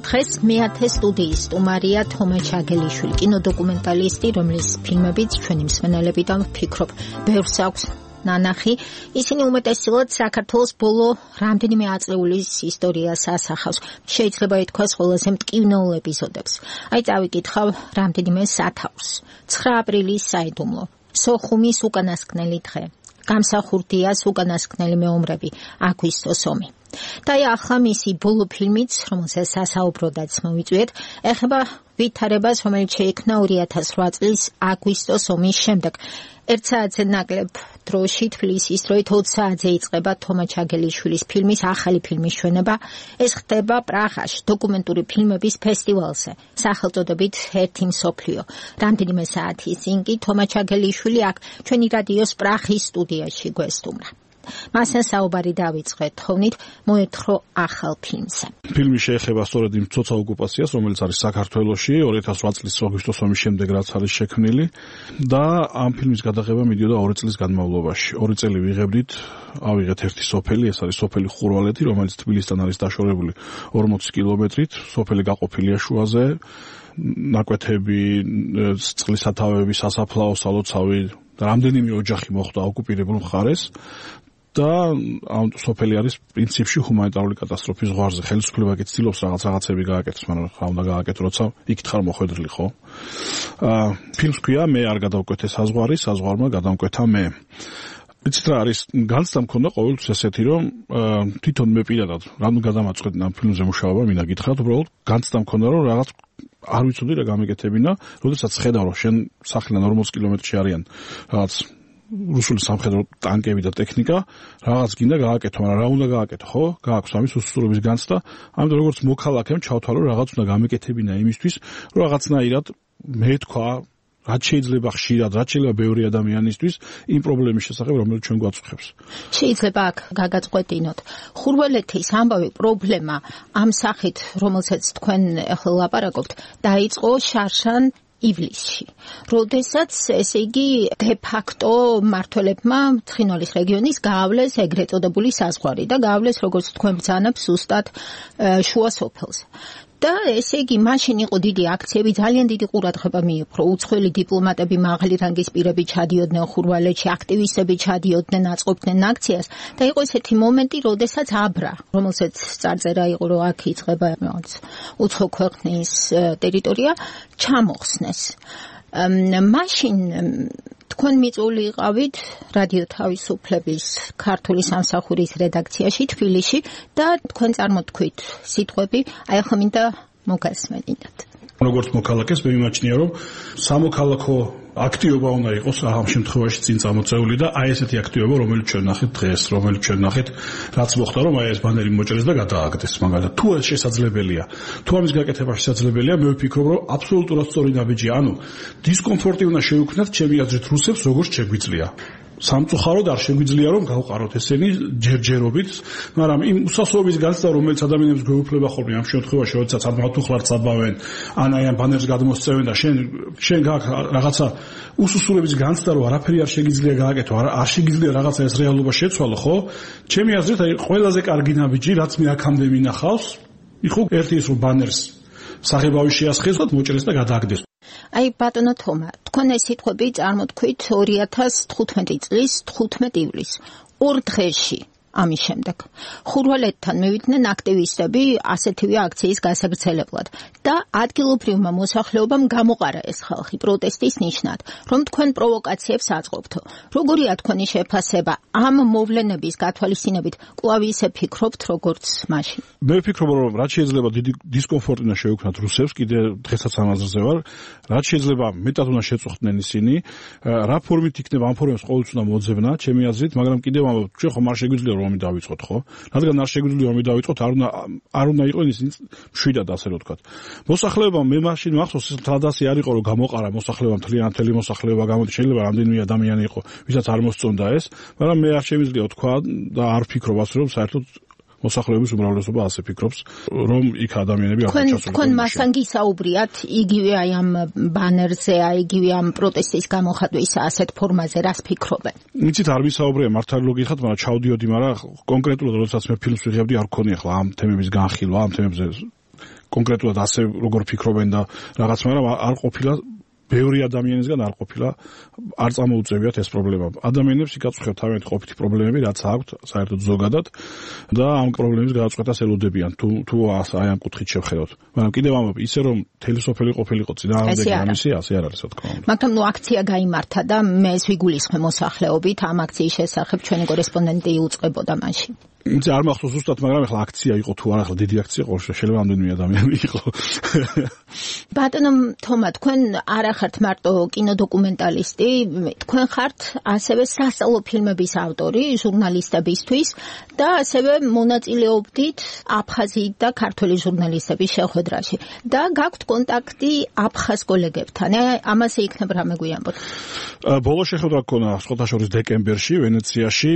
დღეს მეათე სტუდიის სტუმარია თომა ჩაგელიშვილი, კინოდოკუმენტალისტი, რომლის ფილმებიც ჩვენი მსმენელები და ვფიქრობ, ბევრს აქვს ნანახი. ისინი უმეტესწილად საქართველოს ბოლო რამდენიმე აწლეულის ისტორიას ასახავს. შეიძლება ითქვას ყველაზე მტკივნეულ ეპიზოდებს. აი წავიკითხავ რამდენიმე სათაურს. 9 აპრილის საიდუმლო, სოხუმის უკანასკნელი დღე, გამსახურდიას უკანასკნელი მეომრები, აგვისტოს ომი. და ახლა მისი ბოლო ფილმიც, რომელსაც სასაუბროდაც მოვიწვიეთ, ეხება ვითარებას, რომელიც შეიქმნა 2008 წლის აგვისტოს ომის შემდეგ. 1 საათზე ნაკლებ დროში თბილისის დროით 20 საათზე იწყება თომა ჩაგელიშვილის ფილმის ახალი ფილმის ჩვენება. ეს ხდება პრაღაში, დოკუმენტური ფილმების ფესტივალზე, სახელწოდებით ერთი მსოფლიო. რამდენიმე საათის წინ კი თომა ჩაგელიშვილი აქ ჩვენი რადიოს პრაღის სტუდიაში გვესტუმრა. მასთან საუბარი დავიწყეთ თოვნით, მოეთხოვ ახალ ფილმზე. ფილმი შეეხება სწორედ იმ ცოცხალ ოკუპაციას, რომელიც არის საქართველოში 2008 წლის აგვისტოს ომის შემდეგ, რაც არის შექმნილი და ამ ფილმის გადაღება მიდიოდა 2 წლის განმავლობაში. 2 წელი ვიღებდით, ავიღეთ ერთი სოფელი, ეს არის სოფელი ხურვალეთი, რომელიც თბილისთან არის დაშორებული 40 კილომეტრით, სოფელი გაყოფილია შუაზე, ნაკვეთები, წყლის სათავეები, სასაფლაო, სალოცავი, რამდენიმე ოჯახი მოხვდა ოკუპირებულ მხარეს. და ამ სოფელი არის პრინციპში ჰუმანიტარული კატასტროფის ზღვარზე. ხელისუფლება კი ცდილობს რაღაცები გააკეთოს, მაგრამ რა უნდა გააკეთო, როცა იქით ხარ მოხვედრილი, ხო? ფილმს ქვია მე არ გადავკვეთე საზღვარი, საზღვარმა გადამკვეთა მე. იცით რა არის, განცდა მქონდა ყოველთვის ესეთი, რომ თვითონ მე პირადად რამ გადამაწყვეტნა ამ ფილმზე მუშაობა, მინდა გითხრათ, უბრალოდ განცდა მქონდა, რომ რაღაც არ ვიცოდი რა გამეკეთებინა, როდესაც ხედავ, რომ შენ სახლიდან 40 კილომეტრში არიან რაღაც რუსული სამხედრო ტანკები და ტექნიკა, რაღაც გინდა გააკეთო, მაგრამ რა უნდა გააკეთო, ხო? გააქვს ამის უსწრობის განცდა. ამიტომ როგორც მოქალაქემ ჩავთვალო, რაღაც უნდა გამეკეთებინა იმისთვის, რომ რაღაცნაირად მე თქვა, რაც შეიძლება ხშირად, რაც შეიძლება ბევრი ადამიანისთვის იმ პრობლემის შესახებ, რომელიც ჩვენ გვაწუხებს. შეიძლება აქ გაგაწყვეტინოთ. ხურვალეთის ამბავი პრობლემა ამ სახით, რომელსაც თქვენ ახლა ლაპარაკობთ, დაიწყო შარშან ივლისში, როდესაც ესე იგი დე-ფაქტო მმართველებმა ცხინვალის რეგიონის გაავლეს ეგრეთ წოდებული საზღვარი და გაავლეს, როგორც თქვენ ბრძანებს, ზუსტად შუა სოფელს. და ესე იგი მაშინ იყო დიდი აქციები, ძალიან დიდი ყურადღება მიიპყრო, უცხოელი დიპლომატები, მაღალი რანგის პირები ჩადიოდნენ ხურვალეთში, აქტივისტები ჩადიოდნენ, აწყობდნენ აქციას და იყო ესეთი მომენტი, როდესაც აბრა, რომელსაც წარწერა იყო, რომ აქ იწყება უცხო ქვეყნის ტერიტორია, ჩამოხსნეს. მაშინ თქვენ მიწვეული იყავით რადიო თავისუფლების ქართული სამსახურის რედაქციაში თბილისში და თქვენ წარმოთქვით სიტყვები, აი ახლა მინდა მოგასმენინათ. როგორც მოქალაქეს მე მიმაჩნია, რომ სამოქალაქო აქტივობა უნდა იყოს ამ შემთხვევაში წინ წამოწეული და აი ესეთი აქტივობა, რომელიც ჩვენ ნახეთ დღეს, რომელიც ჩვენ ნახეთ, რაც მოხდა, რომ აი ეს ბანერი მოჭრეს და გადააგდეს, მაგალითად. თუ ეს შესაძლებელია, თუ ამის გაკეთება შესაძლებელია, მე ვფიქრობ, რომ აბსოლუტურად სწორი ნაბიჯია. ანუ დისკომფორტი უნდა შევქმნათ ჩემი აზრით რუსებს, როგორც შეგვიძლია. სამწუხაროდ არ შეგვიძლია რომ გავყაროთ ესენი ჯერჯერობით, მაგრამ იმ უსასრულობის განცდა, რომელიც ადამიანებს გვეუფლება ხოლმე ამ შემთხვევაში, როდესაც ამათუხლართ საბავენ, ან აი ამ ბანერს გადმოსწევენ და შენ გაქვს რაღაცა უსასრულობის განცდა, რომ არაფერი არ შეგიძლია გააკეთო, არ შეგიძლია რაღაცა ეს რეალობა შეცვალო, ხო? ჩემი აზრით, აი ყველაზე კარგი ნაბიჯი, რაც მე აქამდე მინახავს, იყო ერთი ის რომ ბანერს საღებავი შეასხეს და მოჭრეს და გადააგდეს. აი ბატონო თომა, თქვენ ეს სიტყვები წარმოთქვით 2015 წლის 15 ივლისს, 2 დღეში ამის შემდეგ. ხურვალეთთან მივიდნენ აქტივისტები ასეთივე აქციის გასაგრძელებლად და ადგილობრივმა მოსახლეობამ გამოყარა ეს ხალხი პროტესტის ნიშნად, რომ თქვენ პროვოკაციებს აწყობთო. როგორია თქვენი შეფასება ამ მოვლენების გათვალისწინებით? კვლავ ისე ფიქრობთ, როგორც მაშინ? მე ვფიქრობ, რომ რაც შეიძლება დიდი დისკომფორტი უნდა შევქმნათ რუსებს, კიდე დღესაც ამ აზრზე ვარ, რაც შეიძლება მეტად უნდა შეწუხდნენ ისინი, რა ფორმით იქნება ამ ფორმებს ყოველთვის უნდა მოძებნა, ჩემი აზრით, მაგრამ კიდევ ამბობ, ჩვენ ხომ არ შეგვიძლია ომი დავიწყოთ, ხო? რადგან არ შეგვიძლია ომი დავიწყოთ, არ უნდა იყოს ისინი მშვიდად, ასე რომ ვთქვათ. მოსახლეობამ მე მაშინ მახსოვს, თადასი არ იყო რომ გამოყარა მოსახლეობამ მთელი მოსახლეობა გამოდი, შეიძლება რამდენიმე ადამიანი იყო, ვისაც არ მოსწონდა ეს, მაგრამ მე არ შემიძლია თქვა და არ ვფიქრობ ასე რომ საერთოდ მოსახლეობის უმრავლესობა ასე ფიქრობს, რომ იქ ადამიანები არ ჩასულიყო. თქვენ მასთან გისაუბრიათ იგივე აი ამ ბანერზე, აი იგივე ამ პროტესტის გამოხატვის ასეთ ფორმაზე, რას ფიქრობენ? იცით, არ ვისაუბრია მართალი ლოგიკად, მაგრამ ჩავდიოდი, მაგრამ კონკრეტულად როდესაც მე ფილმს ვიღებდი, არ გქონია ახლა ამ თემების განხილვა, ამ თემებზე კონკრეტულად ასე როგორ ფიქრობენ და რაღაც, მაგრამ არ ყოფილა ბევრი ადამიანისგან არ ყოფილა არ წამოუწევიათ ეს პრობლემა. ადამიანებს იკაცხებთ თავიანთი ყოფითი პრობლემები, რაც აქვთ საერთოდ ზოგადად და ამ პრობლემის გადაწყვეტას ელოდებიან თუ აი ამ კუთხით შევხედოთ. მაგრამ კიდევ ამბობ, ისე რომ მთელი სოფელი ყოფილიყო წინააღმდეგ ამისი, ასე არ არის, რა თქმა უნდა. მაგრამ აქცია გაიმართა და მე ეს ვიგულისხმე მოსახლეობით ამ აქციის შესახებ ჩვენი კორესპონდენტი იუწყებოდა მაშინ. იცი არ მახსოვს ზუსტად, მაგრამ ახლა აქცია იყო თუ არა, ახლა დიდი აქცია ყო, შეიძლება ამდენივე ადამიანი იყო. ბატონო თომა, თქვენ არ ახართ მარტო კინოდოკუმენტალისტი, თქვენ ხართ ასევე სასწავლო ფილმების ავტორი ჟურნალისტებისთვის და ასევე მონაწილეობდით აფხაზი და ქართველი ჟურნალისტების შეხვედრაში და გაქვთ კონტაქტი აფხაზ კოლეგებთან. ამაზე იქნებ რამე გვიამბოთ. ბოლო შეხვედრა გქონდა სხვათაშორის დეკემბერში ვენეციაში.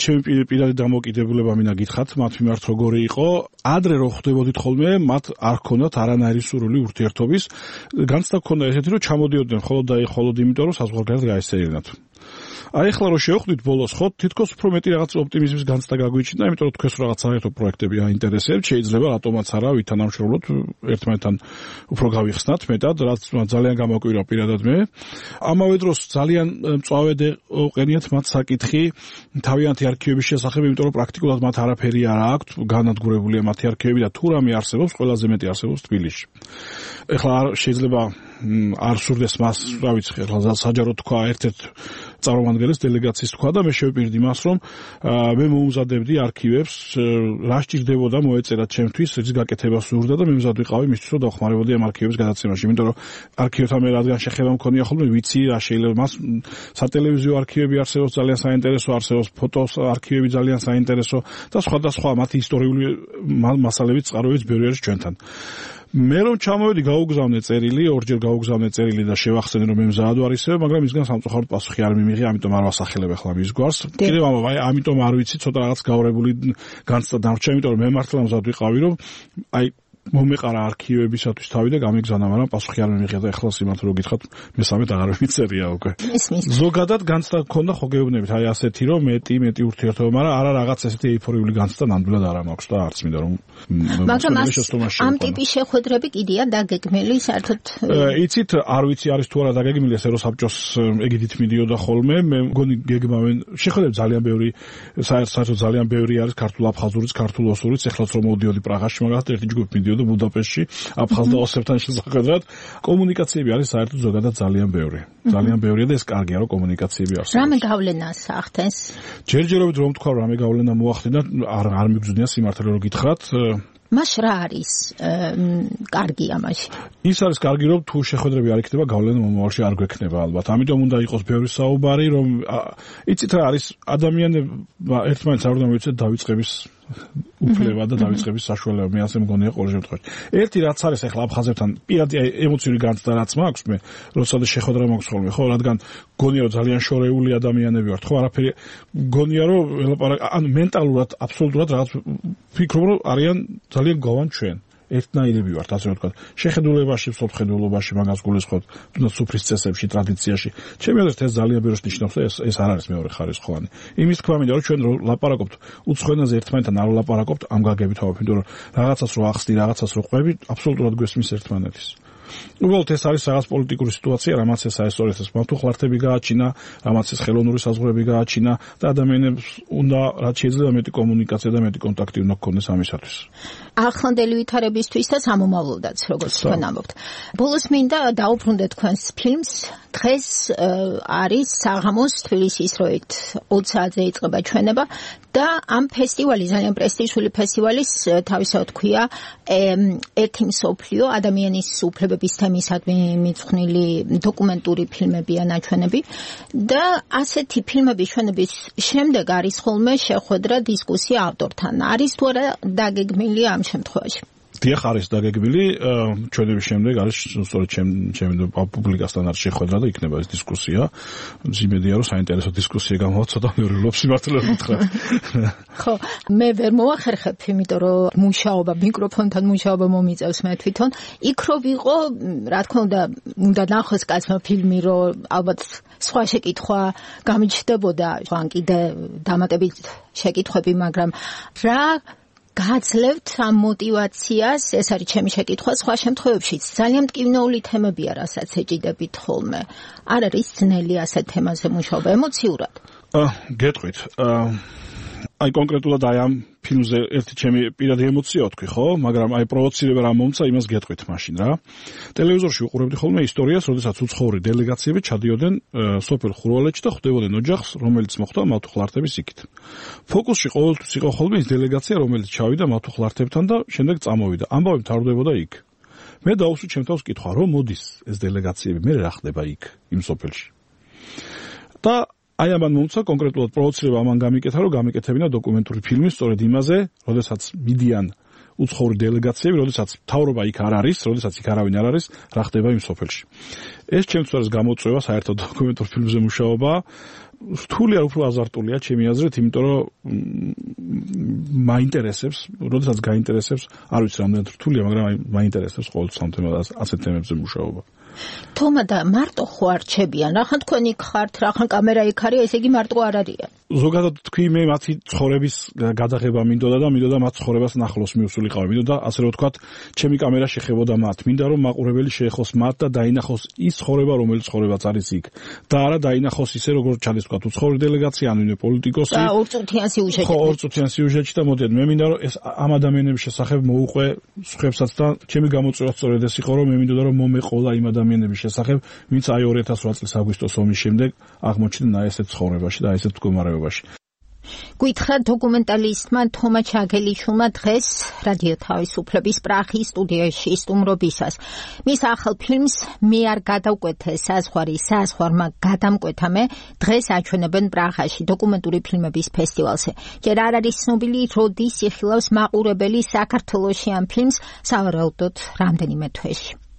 ჩემი პირადი დამოკიდებულება მინდა გითხრათ მათ მიმართ როგორი იყო. ადრე რო ხვდებოდით ხოლმე, მათ არ ჰქონდათ არანაირი სურვილი ურთიერთობის. განცდა ჰქონდა ესეთი, რომ ჩამოდიოდნენ მხოლოდ და მხოლოდ იმიტომ, რომ საზღვარგარეთ გაესწრებინათ. აი ახლა რო შევხვდით ბოლოს, ხო, თითქოს უფრო მეტი რაღაც ოპტიმიზმის განცდა გაგვიჩნდა, იმიტომ რომ თქვენს რაღაც საერთო პროექტები აინტერესებთ, შეიძლება რატომაც არა ვითანამშრომლოთ ერთმანეთთან უფრო გავიხსნათ მეტად, რაც ძალიან გამოკვირა პირადად მე. ამავე დროს ძალიან მწვავედ ყენიათ მათ საკითხი თავიანთი არქივების შესახებ, იმიტომ რომ პრაქტიკულად მათ არაფერი არ აქვთ, განადგურებულია მათი არქივები და თუ რამე არსებობს, ყველაზე მეტი არსებობს თბილისში. ეხლა შეიძლება არ სურდეს მას, რა ვიცი, ეხლა საჯარო თქვა ერთ-ერთ წარმომადგენლის დელეგაციის თქვა და მე შევპირდი მას, რომ მე მოუმზადებდი არქივებს, რა სჭირდებოდა მოეწერა ჩემთვის, რის გაკეთებას სურდა და მე მზად ვიყავი მისთვის, რომ დავხმარებოდი ამ არქივების გადაცემაში, იმიტომ რომ არქივებთან მე რადგან შეხება მქონია ხოლმე, ვიცი რა შეიძლება მას სატელევიზიო არქივები არსებობს ძალიან საინტერესო, არსებობს ფოტოს არქივები ძალიან საინტერესო და სხვადასხვა მათი ისტორიული მასალებიც წყაროებიც ბევრი არის ჩვენთან. მე რომ ჩამოვედი გაუგზავნე წერილი, ორჯერ გაუგზავნე წერილი და შევახსენე რომ მე მზად ვარ ისევ, მაგრამ ისგან სამწუხაროდ პასუხი არ მიმიღე, ამიტომ არ ვასახელებ ახლა მის გვარს. კიდევ ამბობ, ამიტომ არ ვიცი, ცოტა რაღაც გავრებული განცდა დამრჩა, იმიტომ რომ მე მართლა მზად ვიყავი, რომ აი მომეყარა არქივებისათვის თავი და გამიგზავნა, მაგრამ პასუხი არ მიმიღე და ახლა სიმართლე რო გითხრათ, მესამედ აღარ მიწერია უკვე. ზოგადად განცდა გქონდა ხო გეუბნებით, აი ასეთი რომ მეტი ურთიერთობა, მაგრამ არა რაღაც ესეთი ეიფორიული განცდა ნამდვილად არ მაქვს და არც მინდა რომ მაგრამ ამ ტიპის შეხვედრები კიდია დაგეგმილი საერთოდ. იცით, არ ვიცი არის თუ არა დაგეგმილი, ეს ეროსაბჭოს ეგიდით მიდიოდა ხოლმე, მე მგონი გეგმავენ შეხვედრები ძალიან ბევრი, საერთოდ ძალიან ბევრი არის ქართულ აფხაზურიც, ქართულ ოსურიც, ეხლაც რომ მოდიოდი პრაღაში, მაგალითად ერთი ჯგუფი მიდიოდა ბუდაპეშტში აფხაზ და ოსებთან შესახვედრად. კომუნიკაციები არის საერთოდ ზოგადად ძალიან ბევრი. ძალიან ბევრია და ეს კარგია რომ კომუნიკაციები არსებობს. რამე გავლენას ახდენს? ჯერჯერობით რომ თქვა რამე გავლენა მოახდინა, არ მიგზნია სიმართლე რომ გითხრათ. მას რა არის კარგი ამაში? ის არის კარგი რომ თუ შეხვედრები არ იქნება, გავლენა მომავალში არ გვექნება ალბათ. ამიტომ უნდა იყოს ბევრი საუბარი, რომ იცით რა არის ადამიანებმა ერთმანეთს არ უნდა მოიცეთ დავიწყების უფლება და დავიწყების საშუალება. მე ასე მგონია ყოველ შემთხვევაში. ერთი რაც არის ახლა აფხაზებთან პირადი ემოციური განცდა რაც მაქვს მე, როცა შეხვედრა მაქვს ხოლმე, ხო, რადგან გონია რომ ძალიან შორეული ადამიანები ვართ, ხო, არაფერი გონია რომ ანუ მენტალურად აბსოლუტურად რაღაც ფიქრობ რომ არიან ძალიან გავან ჩვენ. ერთნაირები ვართ, ასე ვთქვათ. შეხედულებაში, სოფხედულობაში, მაგას გულისხმობთ, თუნდაც სუფრის წესებში, ტრადიციაში. ჩემი აზრით ეს ძალიან ბევრს ნიშნავს და ეს არ არის მეორე ხარისხოვანი. იმის თქვა მინდა რომ ჩვენ ლაპარაკობთ უცხოენაზე ერთმანეთთან არ ვლაპარაკობთ ამ გაგებით ავ, იმიტომ რომ რაღაცას რო ახსნი, რაღაცას რო ყვები, აბსოლუტურად გვესმის ერთმანეთის. უბრალოდ ეს არის რაღაც პოლიტიკური სიტუაცია, რამაც ეს აესწორებს, მათუ ხლართები გააჩინა, რამაც ეს ხელოვნური საზღვრები გააჩინა და ადამიანებს უნდა რაც შეიძლება მეტი კომუნიკაცია და მეტი კონტაქტი უნდა გქონდეს ამისათვის. ახლანდელი ვითარებისთვის და სამომავლოდაც, როგორც თქვენ ამბობთ. ბოლოს მინდა დაუბრუნდეთ თქვენს ფილმს. დღეს არის საღამოს თბილისის როით 20 საათზე იწყება ჩვენება და ამ ფესტივალი, ძალიან პრესტიჟული ფესტივალის თავისთავად ქვია ერთი მსოფლიო ადამიანის უფლებების თემისადმი მიძღვნილი დოკუმენტური ფილმებია ნაჩვენები და ასეთი ფილმების ჩვენების შემდეგ არის ხოლმე შეხვედრა დისკუსია ავტორთან. არის თუ არა დაგეგმილი ამ შემთხვევაში? დიახ, არის დაგეგმილი, ჩვენების შემდეგ არის სწორედ ჩემი პუბლიკასთან არის შეხვედრა და იქნება ეს დისკუსია. იმედია რომ საინტერესო დისკუსია გამოვა, ცოტა მეურვებლობს სიმართლე გითხრათ. ხო, მე ვერ მოახერხებ, იმიტომ რომ მუშაობა, მიკროფონთან მუშაობა მომიწევს მე თვითონ. იქ რო ვიყო, რა თქმა უნდა ნახოს კაცმა ფილმი, რომ ალბათ სხვა შეკითხვა გამიჩნდებოდა, ან კიდე დამატებით შეკითხვები, მაგრამ რა გაძლევთ ამ მოტივაციას, ეს არის ჩემი შეკითხვა, სხვა შემთხვევებშიც ძალიან მტკივნეული თემებია, რასაც ეჭიდებით ხოლმე. არ არის ძნელი ასეთ თემაზე მუშაობა ემოციურად? გეტყვით. აი კონკრეტულად აი ამ ფილმზე ერთი ჩემი პირადი ემოცია ვთქვი, ხო? მაგრამ აი პროვოცირება რა მომცა, იმას გეტყვით მაშინ რა. ტელევიზორში ვუყურებდი ხოლმე ისტორიას, როდესაც უცხოური დელეგაციები ჩადიოდნენ სოფელ ხურვალეთში და ხვდებოდნენ ოჯახს, რომელიც მოხვდა მათუხლართების იქით. ფოკუსში ყოველთვის იყო ხოლმე ის დელეგაცია, რომელიც ჩავიდა მათუხლართებთან და შემდეგ წამოვიდა. ამბავი მთავრდებოდა იქ. მე დავუსვი ჩემ თავს კითხვა, რომ მოდის ეს დელეგაციები, მე რა ხდება იქ, იმ სოფელში. და აი ამან მომცა კონკრეტულად პროვოცირება ამან გამიკეთა, რომ გამიკეთებინა დოკუმენტური ფილმი სწორედ იმაზე, როდესაც მიდიან უცხოური დელეგაციები, როდესაც მთავრობა იქ არ არის, როდესაც იქ არავინ არ არის, რა ხდება იმ სოფელში. ეს ჩემთვის არის გამოწვევა საერთოდ დოკუმენტურ ფილმზე მუშაობა. რთული არ უფრო აზარტულია ჩემი აზრით, იმიტომ რომ მაინტერესებს, როდესაც გაინტერესებს, არ ვიცი რამდენად რთულია, მაგრამ მაინტერესებს ყოველთვის ამ ასეთ თემებზე მუშაობა. თომა და მარტო ხო არჩებიან, რახან თქვენ იქ ხართ, რახან კამერა იქ არის, ესე იგი მარტო არ არიან. ზოგადად თქვი მე მათი ცხოვრების გადაღება მინდოდა მათ ცხოვრებას ნახლოს მიუსულიყავი, მინდოდა ასე რომ ვთქვათ, ჩემი კამერა შეხებოდა მათ, მინდა რომ მაყურებელი შეეხოს მათ და დაინახოს ის ცხოვრება, რომელიც ცხოვრებაც არის იქ. და არა დაინახოს ისე როგორც ჩადის ვთქვათ, უცხოური დელეგაცია, ან ვინმე პოლიტიკოსი. და ორწუთიან სიუჟეტი. ხო, ორწუთიან სიუჟეტი და მოდიეთ, მე მინდა რომ ეს ამ ადამიანების შესახებ მოუყვე სხვებსაც და ჩემი გამოწვევა სწორედ ეს იყო, რომ მე მინდოდა რომ მომეყოლა იმ ადამიანების შესახებ, ვინც აი 2008 წლის აგვისტოს ომის შემდეგ აღმოჩნდნენ აი ესეთ ცხოვრებაში და აი ესეთ მდგომარეობაში. გითხრა დოკუმენტალისტმა თომა ჩაგელიშვილმა დღეს რადიო თავისუფლების პრაღის სტუდიაში სტუმრობისას. მის ახალ ფილმს მე არ გადავკვეთე საზღვარმა გადამკვეთა მე დღეს აჩვენებენ პრაღაში დოკუმენტური ფილმების ფესტივალზე. ჯერ არ არის ცნობილი, როდის იხილავს მაყურებელი საქართველოში ამ ფილმს, სავარაუდოდ რამდენიმე თვეში.